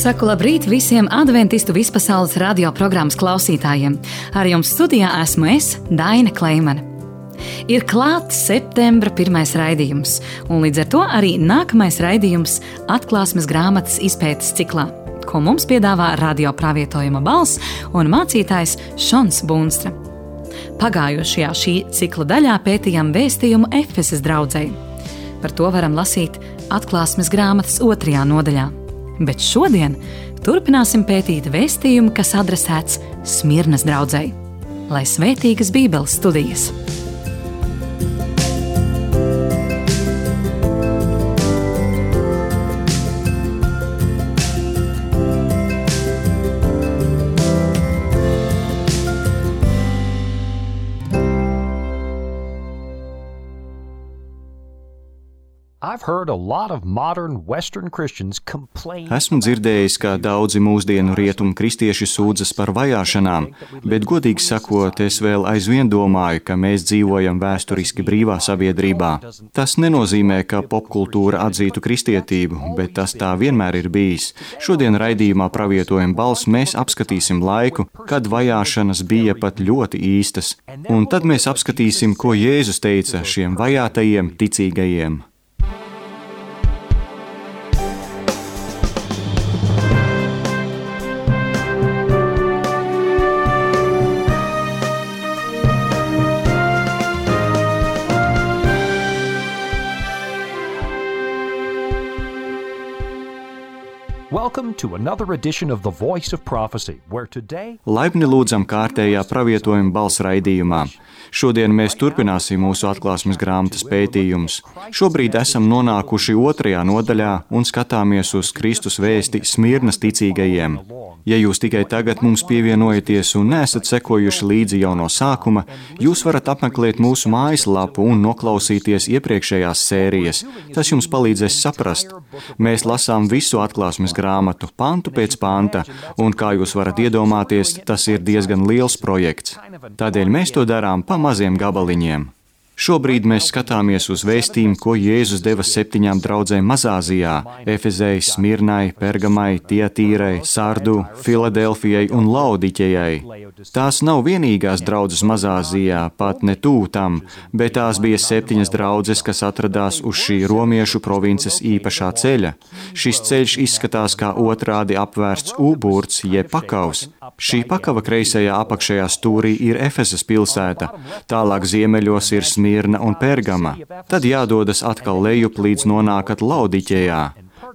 Saku labrīt visiem adventistu vispasaules radioprogrammas klausītājiem. Ar jums studijā esmu es, Daina Kleimane. Ir klāts septembra pirmais raidījums, un līdz ar to arī nākamais raidījums atklāsmes grāmatas izpētes ciklā, ko mums piedāvā radiopravietojuma balss un mācītājs Šons Bunstra. Pagājušajā šī cikla daļā pētījām vēstījumu Efesas draudzei. Par to varam lasīt atklāsmes grāmatas 2. nodaļā. Bet šodien turpināsim pētīt vēstījumu, kas adresēts Smirnas draudzei. Lai svētīgas Bībeles studijas! Esmu dzirdējis, ka daudzi mūsdienu rietumu kristieši sūdzas par vajāšanām, bet godīgi sakot, es vēl aizvien domāju, ka mēs dzīvojam vēsturiski brīvā sabiedrībā. Tas nenozīmē, ka popkultūra atzītu kristietību, bet tas tā vienmēr ir bijis. Šodien raidījumā Pravietojuma balss mēs apskatīsim laiku, kad vajāšanas bija pat ļoti īstas, un tad mēs apskatīsim, ko Jēzus teica šiem vajātajiem ticīgajiem. Laipni lūdzam kārtējā pravietojuma balss raidījumā. Šodien mēs turpināsim mūsu atklāsmes grāmatas pētījumus. Šobrīd esam nonākuši 2. nodaļā un skatāmies uz Kristus vēsti Smirnas ticīgajiem. Ja jūs tikai tagad mums pievienojaties un neesat sekojuši līdzi jau no sākuma, jūs varat apmeklēt mūsu mājaslapu un noklausīties iepriekšējās sērijas. Tas jums palīdzēs saprast. Mēs lasām visu atklāsmes grāmatu, pantu pēc panta, un kā jūs varat iedomāties, tas ir diezgan liels projekts. Tādēļ mēs to darām pa maziem gabaliņiem. Šobrīd mēs skatāmies uz vēstījumu, ko Jēzus deva 7 draudzēm Mazāzijā – Efezei, Smirnai, Pergamai, Tiatīrai, Sardu, Filadelfijai un Laodiķejai. Tās nav vienīgās draudzes Mazāzijā, pat ne tuvu tam, bet tās bija 7 draudzes, kas atradās uz šī romiešu provinces īpašā ceļa. Šis ceļš izskatās kā otrādi apvērsts U-burts, jeb pakavs. Šī pakava kreisajā apakšējā stūrī ir Efesas pilsēta, tālāk ziemeļos ir Smirna un Pergama. Tad jādodas atkal lejup, līdz nonākat Laodiķejā,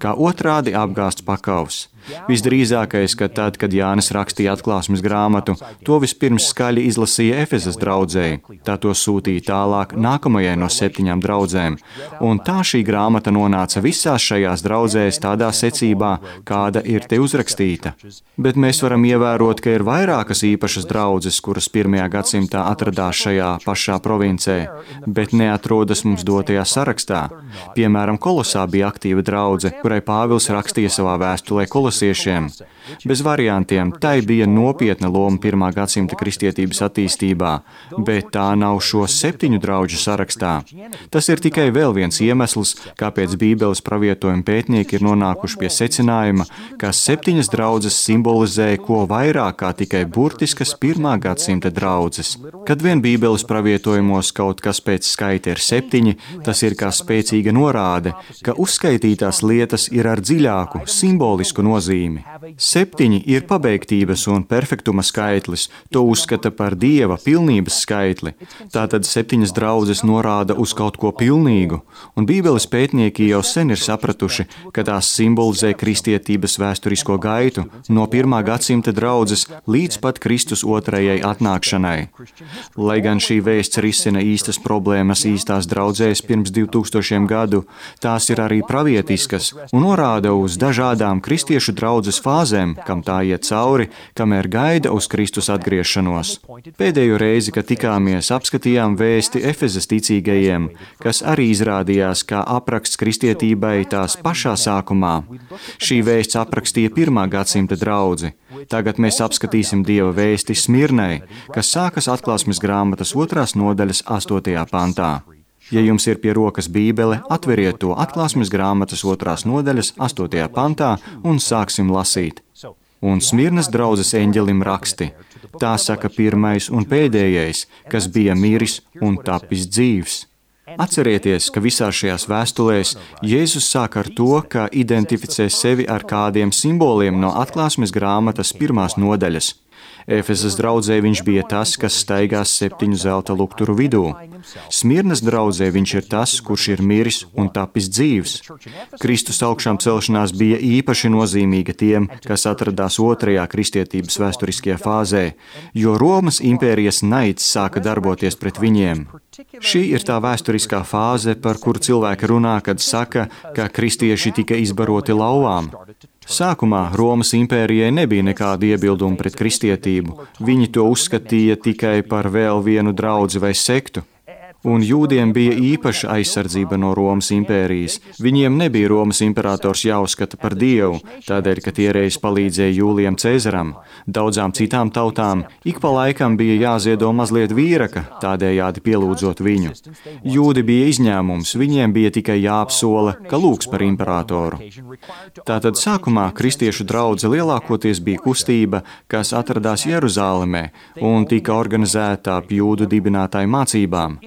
kā otrādi apgāsts pakavs. Visdrīzākais, ka tad, kad Jānis rakstīja atklāsmes grāmatu, to vispirms skaļi izlasīja Efesas draudzei, tā to sūtīja tālāk nākamajai no 7 draudzēm, un tā šī grāmata nonāca visās šajās draudzēs tādā secībā, kāda ir te uzrakstīta. Bet mēs varam ievērot, ka ir vairākas īpašas draudzes, kuras 1. gadsimtā atradās šajā pašā provincē, bet neatrodas mums dotajā sarakstā. Piemēram, Kolosā bija aktīva draudze, kurai Pāvils rakstīja savā vēstulē kolosiešiem. Bez variantiem, tai bija nopietna loma 1. gadsimta kristietības attīstībā, bet tā nav šo 7 draudžu sarakstā. Tas ir tikai vēl viens iemesls, kāpēc Bībeles pravietojuma pētnieki ir nonākuši pie secinājuma, ka 7 draudzes simbolizē ko vairāk kā tikai burtiskas 1. gadsimta draudzes. Kad vien Bībeles pravietojumos kaut kas pēc skaita ir 7, tas ir kā spēcīga norāde, ka uzskaitītās lietas ir ar dziļāku, simbolisku nozīmi. 7 ir pabeigtības un perfektuma skaitlis, to uzskata par Dieva pilnības skaitli. Tātad 7 draudzes norāda uz kaut ko pilnīgu, un Bībeles pētnieki jau sen ir sapratuši, ka tās simbolizē kristietības vēsturisko gaitu no 1. gadsimta draudzes līdz pat Kristus 2. atnākšanai. Lai gan šī vēsts risina īstas problēmas īstās draudzēs pirms 2000 gadu, tās ir arī pravietiskas un norāda uz dažādām kristiešu draudzes fāzēm, kam tā iet cauri, kamēr gaida uz Kristus atgriešanos. Pēdējo reizi, kad tikāmies, apskatījām vēsti Efesas ticīgajiem, kas arī izrādījās kā apraksts kristietībai tās pašā sākumā. Šī vēsts aprakstīja 1. gadsimta draudzi. Tagad mēs apskatīsim Dieva vēsti Smirnai, kas sākas atklāsmes grāmatas 2. nodaļas 8. pantā. Ja jums ir pie rokas Bībele, atveriet to Atklāsmes grāmatas 2. nodaļas 8. pantā un sāksim lasīt. Un Smirnas draudzes eņģelim raksti. Tā saka pirmais un pēdējais, kas bija miris un tapis dzīvs. Atcerieties, ka visās šajās vēstulēs Jēzus sāk ar to, ka identificē sevi ar kādiem simboliem no Atklāsmes grāmatas 1. nodaļas. Efesas draudzē viņš bija tas, kas staigās 7 zelta lukturu vidū. Smirnas draudzē viņš ir tas, kurš ir miris un tapis dzīvs. Kristus augšām celšanās bija īpaši nozīmīga tiem, kas atradās 2. kristietības vēsturiskajā fāzē, jo Romas impērijas naids sāka darboties pret viņiem. Šī ir tā vēsturiskā fāze, par kuru cilvēki runā, kad saka, ka kristieši tika izbaroti lauvām. Sākumā Romas impērijai nebija nekāda iebilduma pret kristietību. Viņi to uzskatīja tikai par vēl vienu draudzi vai sektu. Un jūdiem bija īpaša aizsardzība no Romas impērijas. Viņiem nebija Romas imperators jāuzskata par dievu, tādēļ, ka tie reiz palīdzēja Jūlijam Cēzaram. Daudzām citām tautām ik pa laikam bija jāziedo mazliet vīraka, tādējādi pielūdzot viņu. Jūdi bija izņēmums, viņiem bija tikai jāapsola, ka lūgs par imperatoru. Tātad sākumā kristiešu draudze lielākoties bija kustība, kas atradās Jeruzālemē un tika organizēta ap jūdu dibinātāju mācībām.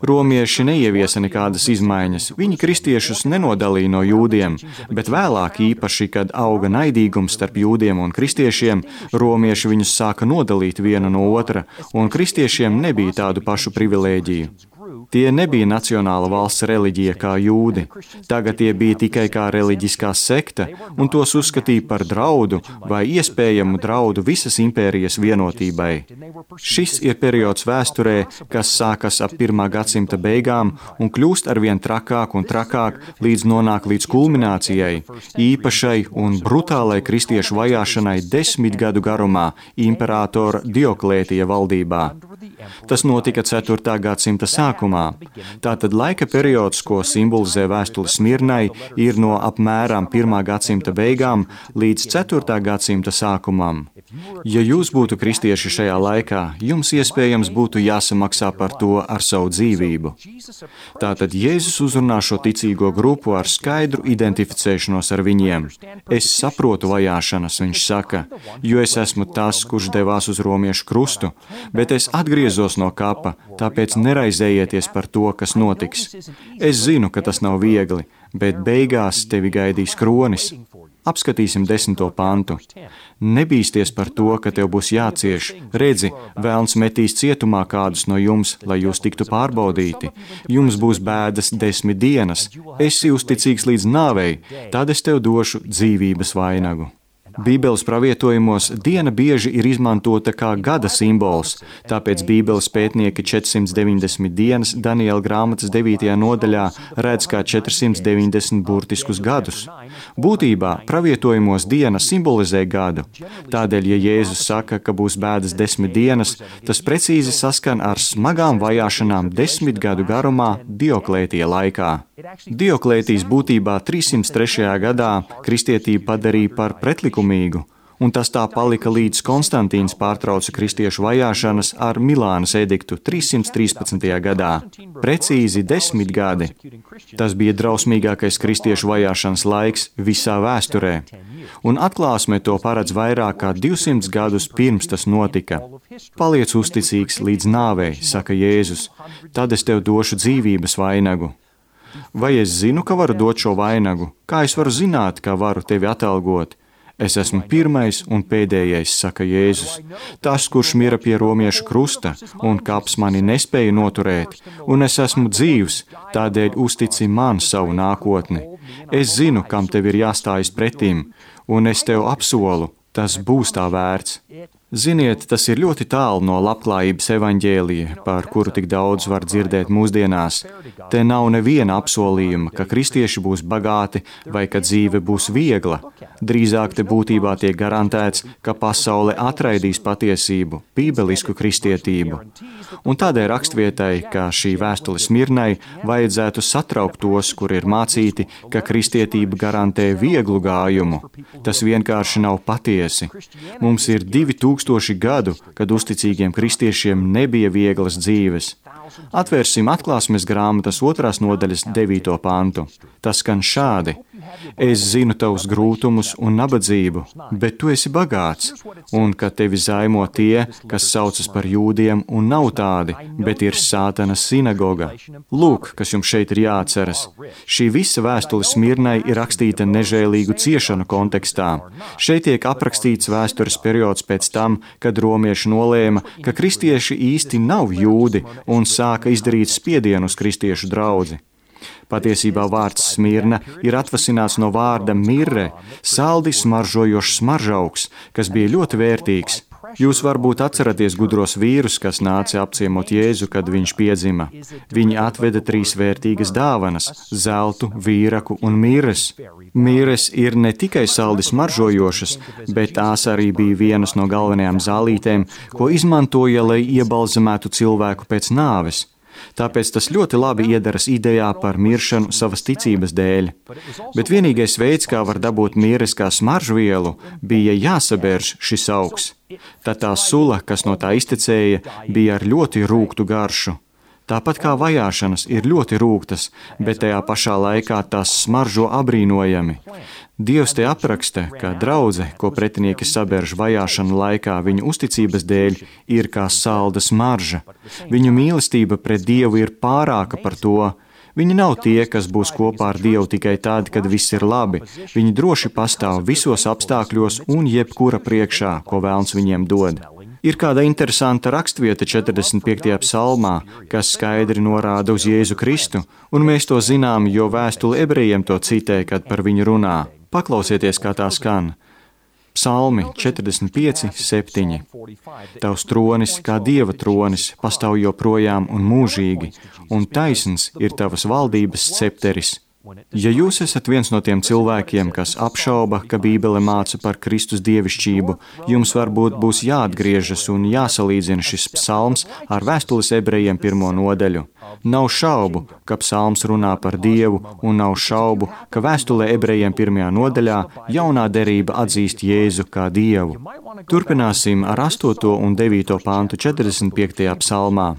Romieši neieviesa nekādas izmaiņas, viņi kristiešus nenodalīja no jūdiem, bet vēlāk īpaši, kad auga naidīgums starp jūdiem un kristiešiem, romieši viņus sāka nodalīt vienu no otra, un kristiešiem nebija tādu pašu privilēģiju. Tie nebija nacionāla valsts reliģija kā jūdi. Tagad tie bija tikai kā reliģiskā sekta, un tos uzskatīja par draudu vai iespējamu draudu visas impērijas vienotībai. Šis ir periods vēsturē, kas sākas ap 1. gadsimta beigām un kļūst arvien trakāk un trakāk, līdz nonāk līdz kulminācijai, īpašai un brutālai kristiešu vajāšanai 10 gadu garumā imperatora Dioklētija valdībā. Tas notika 4. gadsimta sākumā. Tātad laika periods, ko simbolizē vēstule Smirnai, ir no apmēram 1. gadsimta beigām līdz 4. gadsimta sākumam. Ja jūs būtu kristieši šajā laikā, jums iespējams būtu jāsamaksā par to ar savu dzīvību. Tātad Jēzus uzrunā šo ticīgo grupu ar skaidru identificēšanos ar viņiem. Es saprotu vajāšanas, viņš saka, jo es esmu tas, kurš devās uz romiešu krustu, bet es atgriezos no kapa, tāpēc neraizējieties par to, kas notiks. Es zinu, ka tas nav viegli, bet beigās tevi gaidīs kronis. Apskatīsim 10. pantu. Nebīsties par to, ka tev būs jācieš. Redzi, velns metīs cietumā kādus no jums, lai jūs tiktu pārbaudīti. Jums būs bēdas 10 dienas. Esi uzticīgs līdz nāvei, tad es tev došu dzīvības vainagu. Bībeles pravietojumos diena bieži ir izmantota kā gada simbols, tāpēc Bībeles pētnieki 490 dienas Daniela grāmatas 9. nodaļā redz kā 490 burtiskus gadus. Būtībā pravietojumos diena simbolizē gadu. Tādēļ, ja Jēzus saka, ka būs bēdas 10 dienas, tas precīzi saskan ar smagām vajāšanām 10 gadu garumā Dioklētija laikā. Dioklētijs būtībā 303. gadā kristietību padarīja par pretlikumīgu, un tas tā palika līdz Konstantīns pārtrauca kristiešu vajāšanas ar Milānas ediktu 313. gadā. Precīzi 10 gadi. Tas bija drausmīgākais kristiešu vajāšanas laiks visā vēsturē, un Atklāsme to paredz vairāk kā 200 gadus pirms tas notika. Paliec uzticīgs līdz nāvei, saka Jēzus, tad es tev došu dzīvības vainagu. Vai es zinu, ka varu dot šo vainagu? Kā es varu zināt, ka varu tevi atalgot? Es esmu pirmais un pēdējais, saka Jēzus. Tas, kurš mira pie romiešu krusta, un kaps mani nespēja noturēt, un es esmu dzīvs, tādēļ uztici man savu nākotni. Es zinu, kam tev ir jāstājas pretim, un es tev apsolu, tas būs tā vērts. Ziniet, tas ir ļoti tālu no labklājības evaņģēlija, par kuru tik daudz var dzirdēt mūsdienās. Te nav neviena apsolījuma, ka kristieši būs bagāti vai ka dzīve būs viegla. Drīzāk te būtībā tiek garantēts, ka pasaule atraidīs patiesību, bībelisku kristietību. Un tādēļ rakstvietai, ka šī vēstule Smirnai, vajadzētu satraukt tos, kur ir mācīti, ka kristietība garantē vieglu gājumu. Tas vienkārši nav patiesi. Mums ir 2000 gadu, kad uzticīgiem kristiešiem nebija vieglas dzīves. Atvērsim atklāsmes grāmatas 2. nodaļas 9. pantu. Tas skan šādi: Es zinu tavus grūtumus un nabadzību, bet tu esi bagāts, un ka tevi zaimo tie, kas saucas par jūdiem un nav tādi, bet ir Sātana sinagoga. Lūk, kas jums šeit ir jāatceras. Šī visa vēstule Smirnai ir rakstīta nežēlīgu ciešanu kontekstā. Šeit tiek aprakstīts vēstures periods pēc tam, kad romieši nolēma, ka kristieši īsti nav jūdi un sāka izdarīt spiedienu uz kristiešu draudzi. Patiesībā vārds Smirna ir atvasināts no vārda mirre, saldi smaržojošs smaržaugs, kas bija ļoti vērtīgs. Jūs varbūt atceraties gudros vīrus, kas nāca apciemot Jēzu, kad viņš piedzima. Viņi atveda 3 vērtīgas dāvanas – zeltu, vīraku un mirres. Mirres ir ne tikai saldi smaržojošas, bet tās arī bija vienas no galvenajām zālītēm, ko izmantoja, lai iebalzamētu cilvēku pēc nāves. Tāpēc tas ļoti labi iedaras idejā par miršanu savas ticības dēļ. Bet vienīgais veids, kā var dabūt mirres kā smaržvielu, bija jāsabērž šis augs. Tad tā sula, kas no tā iztecēja, bija ar ļoti rūgtu garšu. Tāpat kā vajāšanas ir ļoti rūgtas, bet tajā pašā laikā tās smaržo abrīnojami. Dievs te apraksta, ka draudze, ko pretinieki sabērž vajāšanu laikā viņu uzticības dēļ, ir kā salda smarža. Viņu mīlestība pret Dievu ir pārāka par to. Viņi nav tie, kas būs kopā ar Dievu tikai tad, kad viss ir labi. Viņi droši pastāv visos apstākļos un jebkura priekšā, ko Vēlns viņiem dod. Ir kāda interesanta rakstvieta 45. psalmā, kas skaidri norāda uz Jēzu Kristu, un mēs to zinām, jo vēstule ebrejiem to citē, kad par viņu runā. Paklausieties, kā tā skan. Psalmi 45, 7. Tavs tronis, kā Dieva tronis, pastāv joprojām un mūžīgi, un taisns ir tavas valdības scepteris. Ja jūs esat viens no tiem cilvēkiem, kas apšauba, ka Bībele māca par Kristus dievišķību, jums varbūt būs jāatgriežas un jāsalīdzina šis psalms ar vēstules ebrejiem 1. nodaļu. Nav šaubu, ka psalms runā par Dievu, un nav šaubu, ka vēstulē ebrejiem 1. nodaļā jaunā derība atzīst Jēzu kā Dievu. Turpināsim ar 8. un 9. pantu 45. psalmā.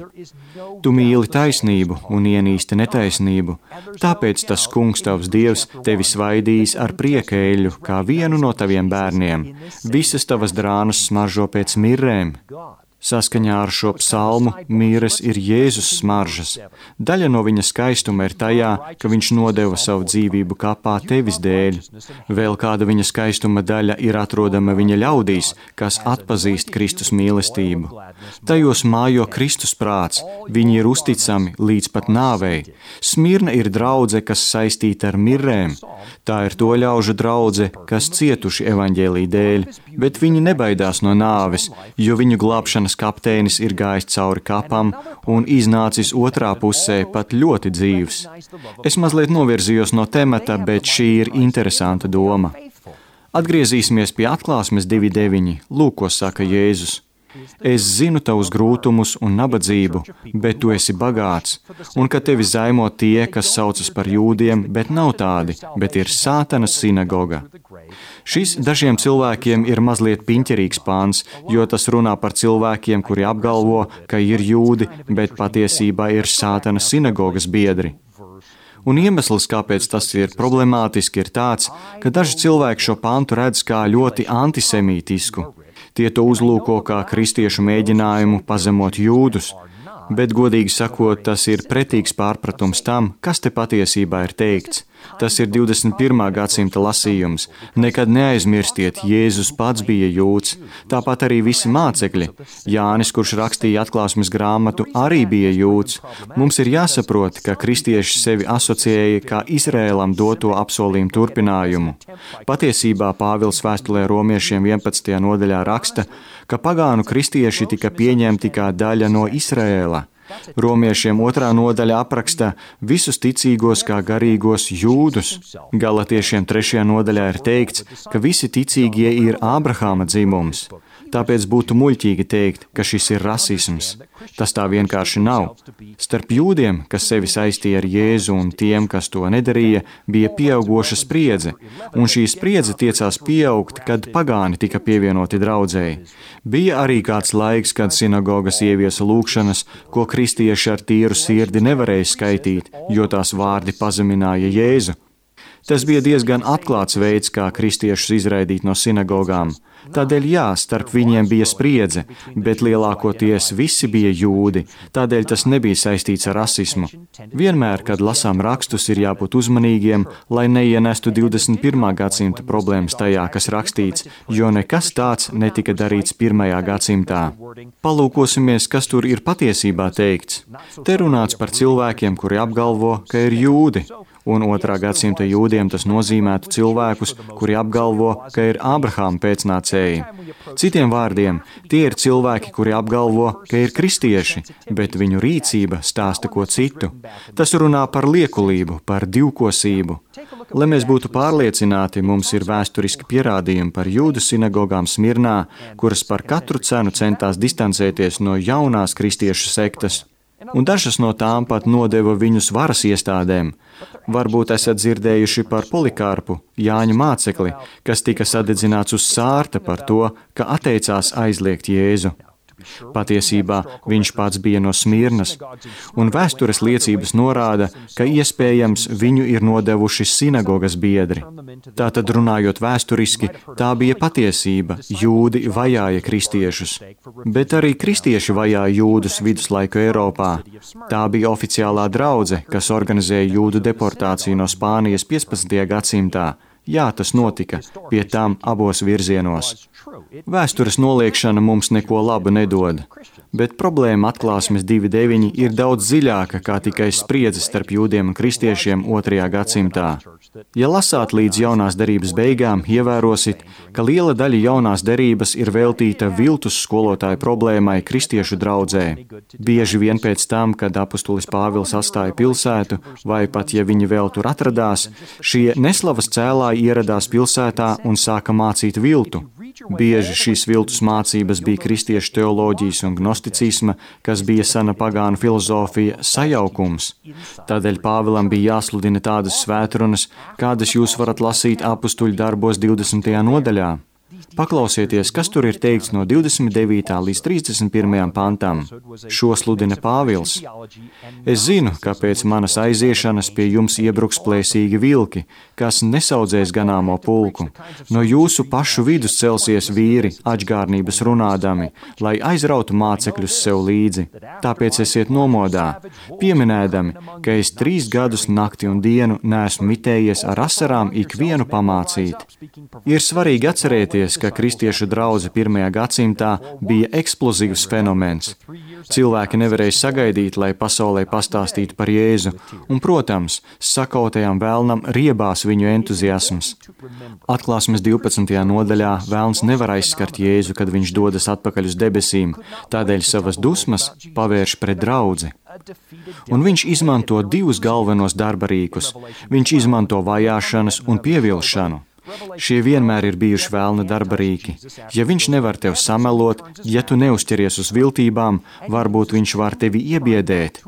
Tu mīli taisnību un ienīsti netaisnību, tāpēc tas Kungs tavs Dievs tevi svaidīs ar prieka eļļu, kā vienu no taviem bērniem. Visas tavas drānas smaržo pēc mirrēm. Saskaņā ar šo psalmu mirres ir Jēzus smaržas. Daļa no viņa skaistuma ir tajā, ka viņš nodeva savu dzīvību kapā tevis dēļ. Vēl kāda viņa skaistuma daļa ir atrodama viņa ļaudīs, kas atpazīst Kristus mīlestību. Tajos mājo Kristus prāts, viņi ir uzticami līdz pat nāvei. Smirna ir draudze, kas saistīta ar mirrēm. Tā ir to ļaužu draudze, kas cietuši evaņģēlī dēļ, bet viņi nebaidās no nāves, jo viņu glābšanas kapteinis ir gājis cauri kapam un iznācis otrā pusē pat ļoti dzīvs. Es mazliet novirzījos no temata, bet šī ir interesanta doma. Atgriezīsimies pie atklāsmes 2.9. Lūk, ko saka Jēzus. Es zinu tavus grūtumus un nabadzību, bet tu esi bagāts, un ka tevi zaimo tie, kas saucas par jūdiem, bet nav tādi, bet ir Sātana sinagoga. Šis dažiem cilvēkiem ir mazliet piņķerīgs pāns, jo tas runā par cilvēkiem, kuri apgalvo, ka ir jūdi, bet patiesībā ir Sātana sinagogas biedri. Un iemesls, kāpēc tas ir problemātiski, ir tāds, ka daži cilvēki šo pantu redz kā ļoti antisemītisku. Tie to uzlūko kā kristiešu mēģinājumu pazemot jūdus, bet, godīgi sakot, tas ir pretīgs pārpratums tam, kas te patiesībā ir teikts. Tas ir 21. gadsimta lasījums. Nekad neaizmirstiet, Jēzus pats bija jūds, tāpat arī visi mācekļi. Jānis, kurš rakstīja atklāsmes grāmatu, arī bija jūds. Mums ir jāsaprot, ka kristieši sevi asociēja kā Izrēlam doto apsolījumu turpinājumu. Patiesībā Pāvils vēstulē romiešiem 11. nodaļā raksta, ka pagānu kristieši tika pieņemti kā daļa no Izrēla. Romiešiem 2. nodaļa apraksta visus ticīgos kā garīgos jūdus. Galatiešiem 3. nodaļā ir teikts, ka visi ticīgie ir Ābrahāma dzimums. Tāpēc būtu muļķīgi teikt, ka šis ir rasisms. Tas tā vienkārši nav. Starp jūdiem, kas sevi saistīja ar Jēzu, un tiem, kas to nedarīja, bija pieaugoša spriedze, un šī spriedze tiecās pieaugt, kad pagāni tika pievienoti draudzēji. Bija arī kāds laiks, kad sinagogas ieviesa lūgšanas, ko kristieši ar tīru sirdi nevarēja skaitīt, jo tās vārdi pazemināja Jēzu. Tas bija diezgan atklāts veids, kā kristiešus izraidīt no sinagogām. Tādēļ jā, starp viņiem bija spriedze, bet lielākoties visi bija jūdi, tādēļ tas nebija saistīts ar rasismu. Vienmēr, kad lasām rakstus, ir jābūt uzmanīgiem, lai neienestu 21. gadsimta problēmas tajā, kas rakstīts, jo nekas tāds netika darīts 1. gadsimtā. Palūkosimies, kas tur ir patiesībā teikts. Te runāts par cilvēkiem, kuri apgalvo, ka ir jūdi. Un 2. gadsimta jūdiem tas nozīmētu cilvēkus, kuri apgalvo, ka ir Ābrahāma pēcnācēji. Citiem vārdiem, tie ir cilvēki, kuri apgalvo, ka ir kristieši, bet viņu rīcība stāsta ko citu. Tas runā par liekulību, par divkosību. Lai mēs būtu pārliecināti, mums ir vēsturiski pierādījumi par jūdu sinagogām Smirnā, kuras par katru cenu centās distancēties no jaunās kristiešu sektas. Un dažas no tām pat nodeva viņus varas iestādēm. Varbūt esat dzirdējuši par Polikārpu, Jāņa mācekli, kas tika sadedzināts uz sārta par to, ka atteicās aizliegt Jēzu. Patiesībā viņš pats bija no Smirnas, un vēstures liecības norāda, ka iespējams viņu ir nodevuši sinagogas biedri. Tātad runājot vēsturiski, tā bija patiesība, jūdi vajāja kristiešus. Bet arī kristieši vajāja jūdus viduslaiku Eiropā. Tā bija oficiālā draudze, kas organizēja jūdu deportāciju no Spānijas 15. gadsimtā. Jā, tas notika, pie tām abos virzienos. Vēstures noliekšana mums neko labu nedod, bet problēma atklāsmes 2.9 ir daudz dziļāka kā tikai spriedze starp jūdiem un kristiešiem 2. gadsimtā. Ja lasāt līdz jaunās derības beigām, ievērosit, ka liela daļa jaunās derības ir veltīta viltus skolotāju problēmai kristiešu draudzē. Bieži vien pēc tam, kad apustulis Pāvils atstāja pilsētu, vai pat ja viņi vēl tur atradās, šie neslavas cēlāji ieradās pilsētā un sāka mācīt viltu. Bieži šīs viltus mācības bija kristiešu teoloģijas un gnosticisma, kas bija sena pagānu filozofija sajaukums. Tādēļ Pāvilam bija jāsludina tādas svētrunas, kādas jūs varat lasīt apustuļu darbos 20. nodaļā. Paklausieties, kas tur ir teikts no 29. līdz 31. pantam. Šo sludina Pāvils. Es zinu, ka pēc manas aiziešanas pie jums iebruks plēsīgi vilki, kas nesaudzēs ganāmo pulku. No jūsu pašu vidus celsies vīri, ačgārnības runādami, lai aizrautu mācekļus sev līdzi. Tāpēc esiet nomodā, pieminēdami, ka es 3 gadus nakti un dienu neesmu mitējies ar asarām ikvienu pamācīt. Ir svarīgi atcerēties, ka kristiešu draudze 1. gadsimtā bija eksplozīvs fenomens. Cilvēki nevarēja sagaidīt, lai pasaulē pastāstītu par Jēzu, un, protams, sakautajām vēlnam riebās viņu entuziasms. Atklāsmes 12. nodaļā vēlns nevar aizskart Jēzu, kad viņš dodas atpakaļ uz debesīm, tādēļ savas dusmas pavērš pret draudzi. Un viņš izmanto 2 galvenos darbarīkus. Viņš izmanto vajāšanas un pievilšanu. Šie vienmēr ir bijuši vēlna darbarīki. Ja viņš nevar tev samelot, ja tu neuzķeries uz viltībām, varbūt viņš var tevi iebiedēt.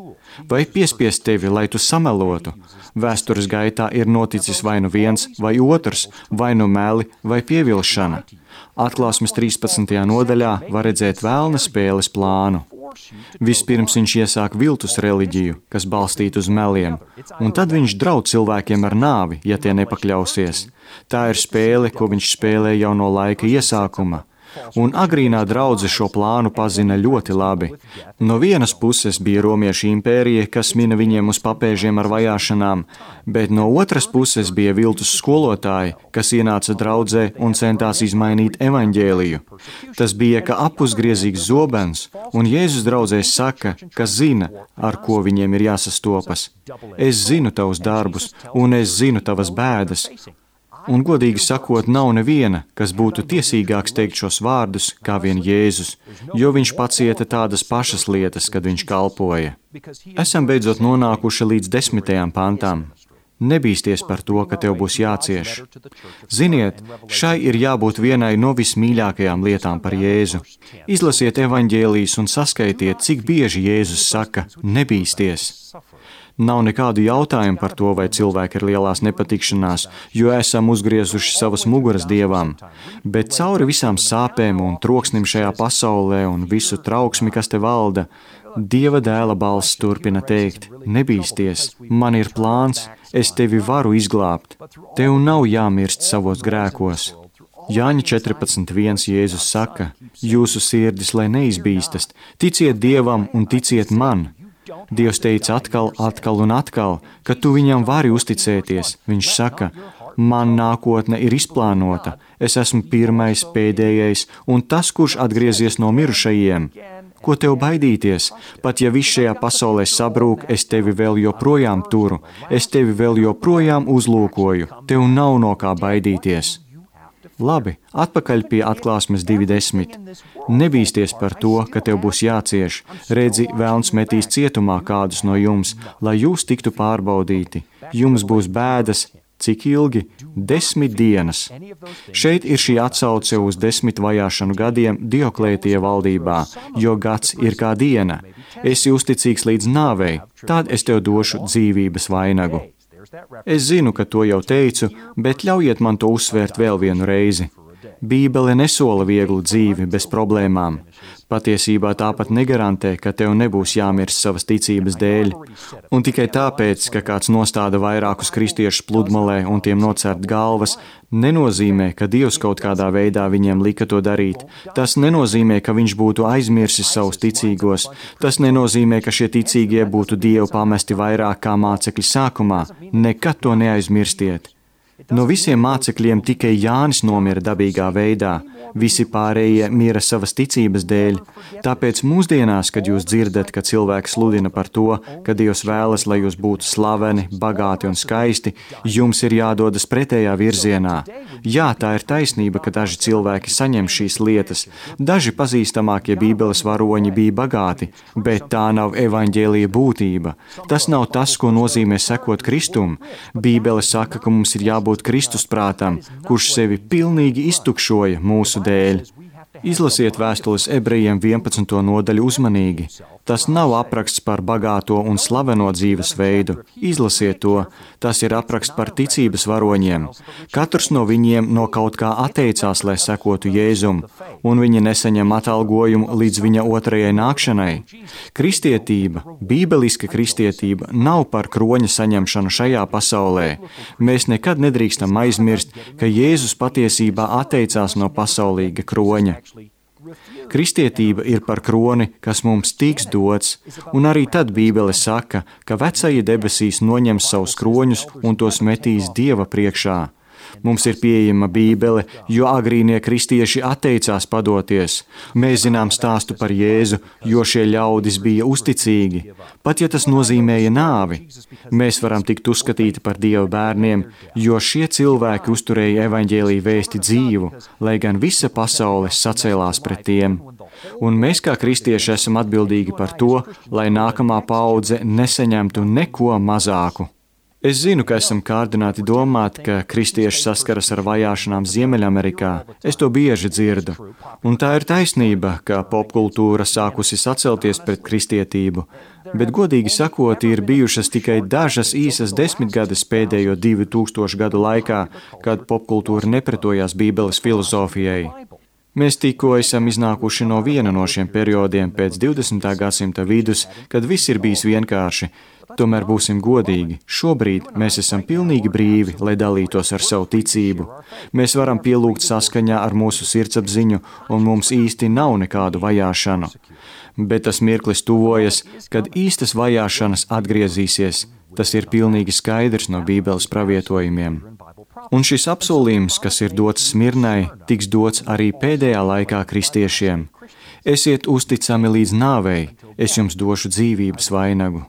Vai piespiest tevi, lai tu samelotu? Vēstures gaitā ir noticis vai nu viens, vai otrs, vai nu meli, vai pievilšana. Atklāsmes 13. nodaļā var redzēt vēlna spēles plānu. Vispirms viņš iesāk viltus reliģiju, kas balstīta uz meliem, un tad viņš draud cilvēkiem ar nāvi, ja tie nepakļausies. Tā ir spēle, ko viņš spēlē jau no laika iesākuma. Un agrīnā draudze šo plānu pazina ļoti labi. No vienas puses bija Romiešu impērija, kas mina viņiem uz papēžiem ar vajāšanām, bet no otras puses bija viltus skolotāji, kas ienāca draudzē un centās izmainīt evaņģēliju. Tas bija kā apusgriezīgs zobens, un Jēzus draudzē saka, ka zina, ar ko viņiem ir jāsastopas. Es zinu tavus darbus, un es zinu tavas bēdas. Un, godīgi sakot, nav neviena, kas būtu tiesīgāks teikt šos vārdus, kā vien Jēzus, jo viņš pacieta tādas pašas lietas, kad viņš kalpoja. Esam beidzot nonākuši līdz 10. pantām. Nebīsties par to, ka tev būs jācieš. Ziniet, šai ir jābūt vienai no vismīļākajām lietām par Jēzu. Izlasiet evaņģēlijas un saskaitiet, cik bieži Jēzus saka, nebīsties. Nav nekādu jautājumu par to, vai cilvēki ir lielās nepatikšanās, jo esam uzgriezuši savas muguras Dievam, bet cauri visām sāpēm un troksnim šajā pasaulē un visu trauksmi, kas te valda, Dieva dēla balss turpina teikt, nebīsties, man ir plāns, es tevi varu izglābt, tev nav jāmirst savos grēkos. Jāņa 14.1 Jēzus saka, jūsu sirdis, lai neizbīstas, ticiet Dievam un ticiet man. Dievs teica atkal un atkal, ka tu viņam vari uzticēties. Viņš saka, man nākotne ir izplānota, es esmu pirmais, pēdējais un tas, kurš atgriezies no mirušajiem. Ko tev baidīties? Pat ja viss šajā pasaulē sabrūk, es tevi vēl joprojām turu, es tevi vēl joprojām uzlūkoju, tev nav no kā baidīties. Labi, atpakaļ pie atklāsmes 2.10. Nebīsties par to, ka tev būs jācieš. Redzi, velns metīs cietumā kādus no jums, lai jūs tiktu pārbaudīti. Jums būs bēdas. Cik ilgi? 10 dienas. Šeit ir šī atsauce uz 10 vajāšanu gadiem Dioklētija valdībā, jo gads ir kā diena. Esi uzticīgs līdz nāvei, tad es tev došu dzīvības vainagu. Es zinu, ka to jau teicu, bet ļaujiet man to uzsvērt vēl vienu reizi. Bībele nesola vieglu dzīvi bez problēmām. Patiesībā tāpat negarantē, ka tev nebūs jāmirst savas ticības dēļ. Un tikai tāpēc, ka kāds nostāda vairākus kristiešus pludmalē un tiem nocērt galvas, nenozīmē, ka Dievs kaut kādā veidā viņiem lika to darīt. Tas nenozīmē, ka viņš būtu aizmirsis savus ticīgos. Tas nenozīmē, ka šie ticīgie būtu Dievu pamesti vairāk kā mācekļi sākumā. Nekad to neaizmirstiet. No visiem mācekļiem tikai Jānis nomira dabīgā veidā, visi pārējie mira savas ticības dēļ. Tāpēc mūsdienās, kad jūs dzirdat, ka cilvēks sludina par to, ka Dievs vēlas, lai jūs būtu slaveni, bagāti un skaisti, jums ir jādodas pretējā virzienā. Jā, tā ir taisnība, ka daži cilvēki saņem šīs lietas. Daži pazīstamākie Bībeles varoņi bija bagāti, bet tā nav evaņģēlija būtība. Tas nav tas, ko nozīmē sekot Kristum. Bībele saka, ka mums ir jābūt Kristus prātam, kurš sevi pilnīgi iztukšoja mūsu dēļ. Izlasiet vēstules ebrejiem 11. nodaļu uzmanīgi. Tas nav apraksts par bagāto un slaveno dzīvesveidu. Izlasiet to. Tas ir apraksts par ticības varoņiem. Katrs no viņiem no kaut kā atteicās, lai sekotu Jēzum, un viņi nesaņem atalgojumu līdz viņa otrajai nākšanai. Kristietība, bībeliska kristietība, nav par kroņa saņemšanu šajā pasaulē. Mēs nekad nedrīkstam aizmirst, ka Jēzus patiesībā atteicās no pasaulīga kroņa. Kristietība ir par kroni, kas mums tiks dots, un arī tad Bībele saka, ka vecie debesīs noņems savus kroņus un tos metīs Dieva priekšā. Mums ir pieejama Bībele, jo agrīnie kristieši atteicās padoties. Mēs zinām stāstu par Jēzu, jo šie ļaudis bija uzticīgi, pat ja tas nozīmēja nāvi. Mēs varam tikt uzskatīti par Dieva bērniem, jo šie cilvēki uzturēja evaņģēlija vēsti dzīvu, lai gan visa pasaule sacēlās pret tiem. Un mēs kā kristieši esam atbildīgi par to, lai nākamā paudze nesaņemtu neko mazāku. Es zinu, ka esam kārdināti domāt, ka kristieši saskaras ar vajāšanām Ziemeļamerikā. Es to bieži dzirdu. Un tā ir taisnība, ka popkultūra sākusi sacelties pret kristietību. Bet, godīgi sakot, ir bijušas tikai dažas īsas desmitgades pēdējo 2000 gadu laikā, kad popkultūra nepretojās Bībeles filozofijai. Mēs tikko esam iznākuši no viena no šiem periodiem pēc 20. gadsimta vidus, kad viss ir bijis vienkārši. Tomēr būsim godīgi, šobrīd mēs esam pilnīgi brīvi, lai dalītos ar savu ticību. Mēs varam pielūgt saskaņā ar mūsu sirdsapziņu, un mums īsti nav nekādu vajāšanu. Bet tas mirklis tuvojas, kad īstas vajāšanas atgriezīsies. Tas ir pilnīgi skaidrs no Bībeles pravietojumiem. Un šis apsolījums, kas ir dots Smirnai, tiks dots arī pēdējā laikā kristiešiem. Esiet uzticami līdz nāvei, es jums došu dzīvības vainagu.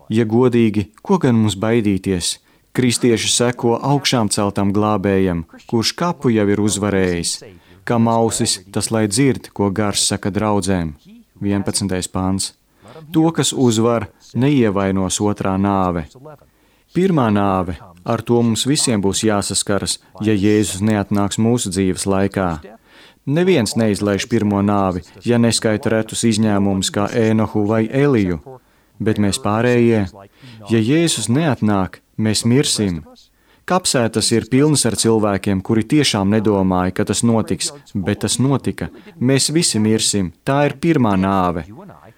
Ja godīgi, ko gan mums baidīties? Kristieši seko augšām celtam glābējam, kurš kapu jau ir uzvarējis. Kam ausis, tas lai dzird, ko gars saka draudzēm. 11. pāns. To, kas uzvar, neievainos otrā nāve. Pirmā nāve, Ar to mums visiem būs jāsaskaras, ja Jēzus neatnāks mūsu dzīves laikā. Neviens neizlaiž pirmo nāvi, ja neskaita retus izņēmumus kā Ēnohu vai Eliju, bet mēs pārējie, ja Jēzus neatnāk, mēs mirsim. Kapsētas ir pilnas ar cilvēkiem, kuri tiešām nedomāja, ka tas notiks, bet tas notika. Mēs visi mirsim, tā ir pirmā nāve.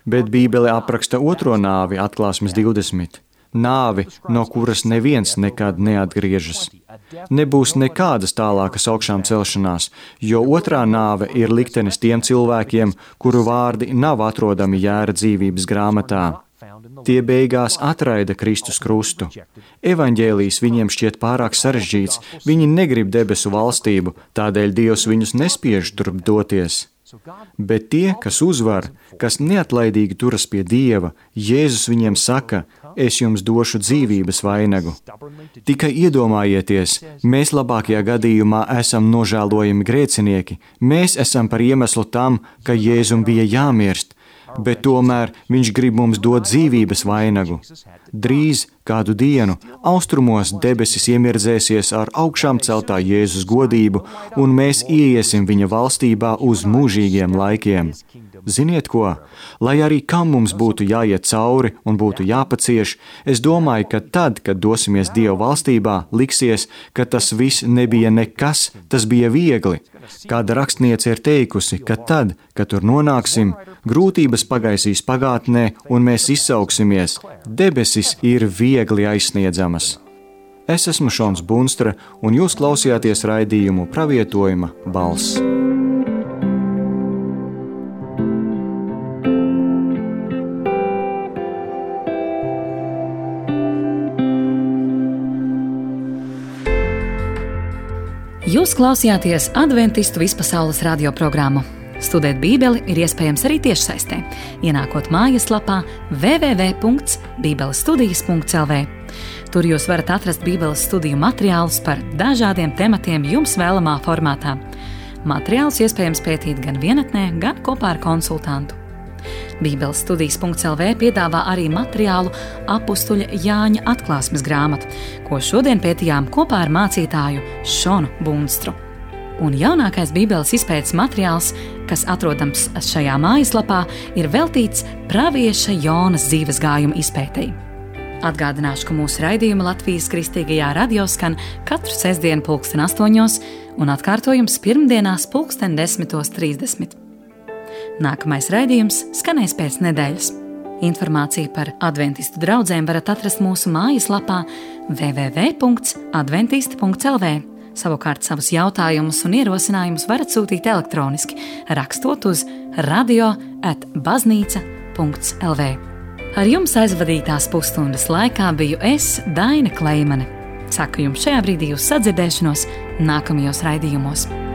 Bet Bībele apraksta otro nāvi, Atklāsmes 20. Nāvi, no kuras neviens nekad neatgriežas. Nebūs nekādas tālākas augšām celšanās, jo otrā nāve ir liktenis tiem cilvēkiem, kuru vārdi nav atrodami Jēra dzīvības grāmatā. Tie beigās atraida Kristus krustu. Evaņģēlijs viņiem šķiet pārāk sarežģīts, viņi negrib debesu valstību, tādēļ Dievs viņus nespiež turp doties. Bet tie, kas uzvar, kas neatlaidīgi turas pie Dieva, Jēzus viņiem saka, es jums došu dzīvības vainagu. Tikai iedomājieties, mēs labākajā gadījumā esam nožēlojami grēcinieki, mēs esam par iemeslu tam, ka Jēzum bija jāmirst, bet tomēr viņš grib mums dot dzīvības vainagu. Drīz kādu dienu austrumos debesis iemirdzēsies ar augšām celtā Jēzus godību, un mēs ieiesim viņa valstībā uz mūžīgiem laikiem. Ziniet ko? Lai arī kam mums būtu jāiet cauri un būtu jāpacieš, es domāju, ka tad, kad dosimies Dieva valstībā, liksies, ka tas viss nebija nekas, tas bija viegli. Kāda rakstniece ir teikusi, ka tad, kad tur nonāksim, grūtības pagaisīs pagātnē un mēs izsauksimies. Debesis ir viegli aizsniedzamas. Es esmu Šons Bunstra, un jūs klausījāties raidījumu Pravietojuma balss. Jūs klausījāties Adventistu vispasaules radioprogrammu. Studēt Bībeli ir iespējams arī tiešsaistē, ienākot mājaslapā www.bībelestudijas.lv. Tur jūs varat atrast Bībeles studiju materiālus par dažādiem tematiem jums vēlamā formātā. Materiālus iespējams pētīt gan vienatnē, gan kopā ar konsultantu. Bībelestudijas.lv piedāvā arī materiālu apustuļa Jāņa atklāsmes grāmatu, ko šodien pētījām kopā ar mācītāju Šonu Bunstru. Un jaunākais Bībeles izpētes materiāls, kas atrodams šajā mājaslapā, ir veltīts pravieša Jonas dzīves gājuma izpētei. Atgādināšu, ka mūsu raidījumi Latvijas Kristīgajā radio skan katru sestdienu 8:00 un atkārtojums pirmdienās 10:30. Nākamais raidījums skanēs pēc nedēļas. Informāciju par adventistu draudzēm varat atrast mūsu mājaslapā www.adventisti.lv. Savukārt savus jautājumus un ierosinājumus varat sūtīt elektroniski, rakstot uz radio@baznīca.lv. Ar jums aizvadītās pusstundas laikā biju es, Daina Kleimane. Saku jums šajā brīdī uz sadzirdēšanos nākamajos raidījumos.